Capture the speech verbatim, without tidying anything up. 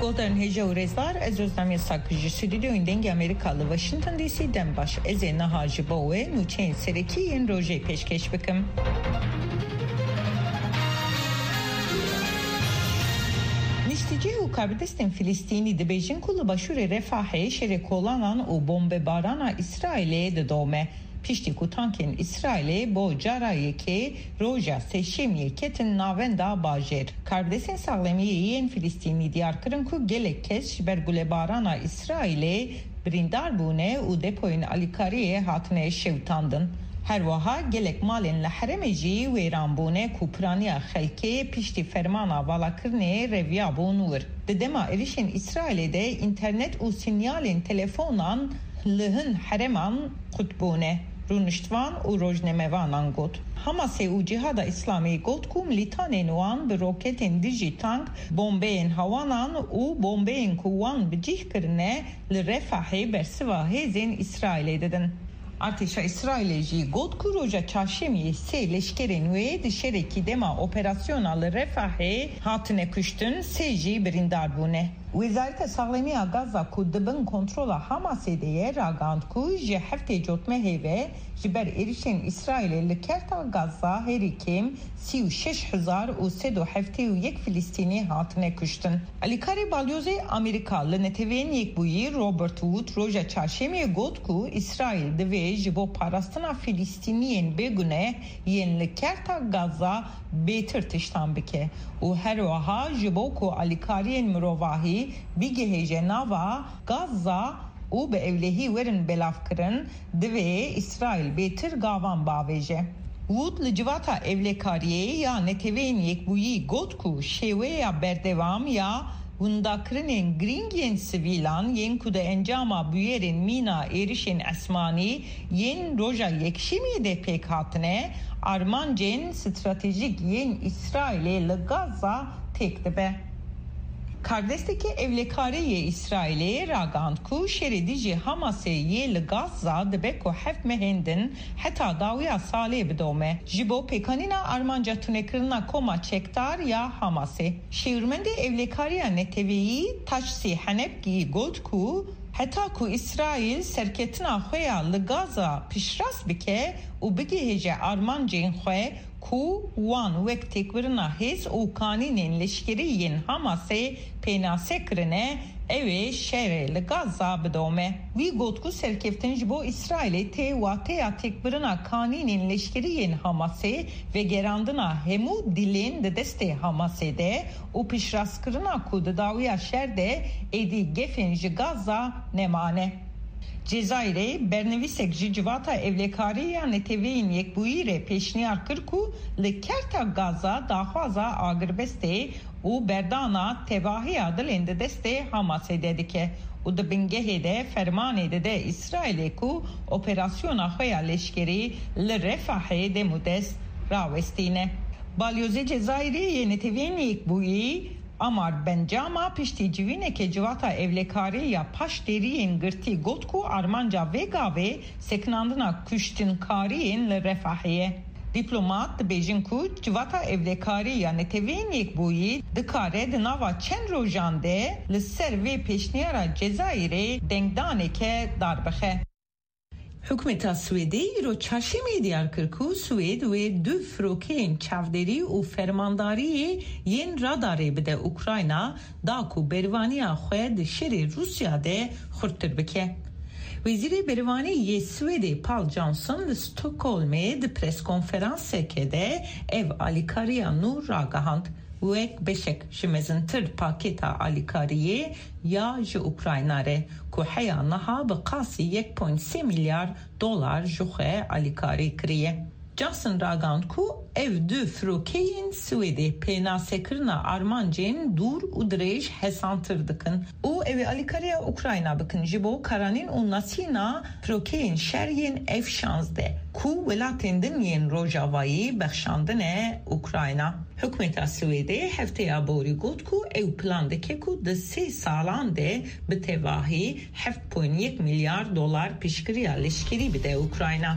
Guhdarên hêja û rêzdar, ez Ozlem Yasak ji stûdyoyên Dengê Amerîka li Washington D C dem baş. Ez ê niha ji bo we nûçeyên serekî yên rojê pêşkêş bikim. Niştecî û karbidestên Filistînî dibêjin ku li başûrê Refahê şerê kolanan û bombebarana Îsraîlê didome. Piştî ku tankên Îsraîlê bo cara yekê roja Sêşemiyê ketin navenda bajêr. Karbidestên saxlemiyê yên Filistînî diyar kirin ku gelek kes ji ber gulebarana Îsraîlê birîndar bûne û depoyên alîkariyê hatine şewitandin. Her wiha gelek malên li herêmê jî wêran bûne ku piraniya xelkê piştî fermana valakirinê reviyabûn wir. Di dema êrişên Îsraîlê de înternet û sînyalên telefonan li hin herêman qut bûne, rûniştvan û rojnamevanan got. Hamasê û Cîhada Îslamî got ku milîtanên wan bi roketên dijî tank, bombeyên hewanan û bombeyên ku wan bi cih kirine li Refahê bersiva hêzên Îsraîlê didin. Artêşa Îsraîlê jî got ku roja çarşemiyê sê leşkerên wê di şerekî dema operasyona li Refahê hatine kuştin, sê jî birîndar bûne. Wezareta Saxlemiya Gaza ku di bin kontrola Hamasê de ye, ragihand ku ji heftê cotmehê ve ji ber êrişên Îsraîlê li kerta Gaza herî kêm sî û şeş hezar û sed û heftê û yek Filistînî hatine kuştin. Alîkarê Balyozê Amerîka li Neteweyên Yekbûyî Robert Wood roja çarşemiyê got ku Îsraîl divê ji bo parastina Filistîniyên bêguneh yên li kerta Gaza bêtir tiştan bike û her wiha ji bo ku alîkariyên mirovahî bigihêje nava Gaza û bi ewlehî werin belavkirin, divê Îsraîl bêtir gavan bavêje. Wood li Civata Ewlekariyê ya Neteweyên Yekbûyî got ku şêweya berdewam ya windakirinên girîng yên sivîlan yên ku di encama bûyerên mîna êrişên esmanî yên roja Yekşemiyê de pêk hatine, armancên stratejîk yên Îsraîlê li Gaza têk dibe. Kardestekê ewlekarê yê Îsraîlê ragihand ku şerê dijî Hamasê yê li Gaza dibe ku heft mehên din heta dawiya salê bidome, ji bo pêkanîna armanca tunekirina koma çekdar ya Hamasê. Şêwirmendê ewlekariya neteweyî Taçsî Henepkî got ku heta ku Îsraîl serketina xwe ya li Gaza piştrast bike û bigihêje armancên xwe, ku wan wek têkbirina hêz û kanînên leşkerî yên Hamasê pênase kirine, ew ê şerê li Gaza bidome. Wî got ku serkeftin ji bo Îsraîlê tê wateya têkbirina kanînên leşkerî yên Hamasê, vegerandina hemû dîlên di destê Hamasê de û piştrastkirina ku di dawiya şer de êdî gefên ji Gaza nemane. Cezayirê bernivîsek ji Civata Ewlekarî ya Neteweyên Yekbûyî re pêşniyar kir ku li kerta Gaza daxwaza agirbestê û berdana tevahiya dilên di destê Hamasê de dike û di bingehê de fermanê dide Îsraîlê ku operasyona xwe ya leşkerî li Refahê demûdest rawestîne. Balyozê Cezayirê yê Neteweyên Yekbûyî Amar Bencama piştî civîneke Civata Ewlekarî ya Paşdêriyên Girtî got ku armanca vê gavê sekinandina kuştinkariyên li Refahê ye. Dîplomat dibêjin ku Civata Ewlekarî ya Neteweyên Yekbûyî dikare di nava çend rojan de li ser vê pêşniyara Cezayirê dengdaneke dar bixe. Hikûmeta Swêdê îro çarşemê diyar kir ku Swêd wê du firokeyên çavderî û fermandariyê yên radarê bide Ukrayna, da ku berevaniya xwe di şerê Rûsya de xurttir bike. Wezîrê Berevanî yê Swêdê Pål Johansson li Stockholmê di preskonferanseke de ev alîkariya nû ragihand, wek beşek ji mezintir pakêta alîkariyê ya ji Ukrayna re, ku heya niha bi qasî yek point sê milyar dolar ji xwe alîkarî kiriye. Johnson ragihand ku ev du firokeyên Swêdê pênasekirina armancên dûr û dirêj hesantir dikin û ew ê alîkariya Ukrayna bikin ji bo karanîn û nasîna firokeyên şer yên F şazdeh ku welatên din yên Rojavayî bexşandine Ukrayna. Hikûmeta Swêdê hefteya borî got ku ew plan dike ku di sê salan de bi tevahî heft point yek milyar dolar piştgiriya leşkerî bide Ukrayna.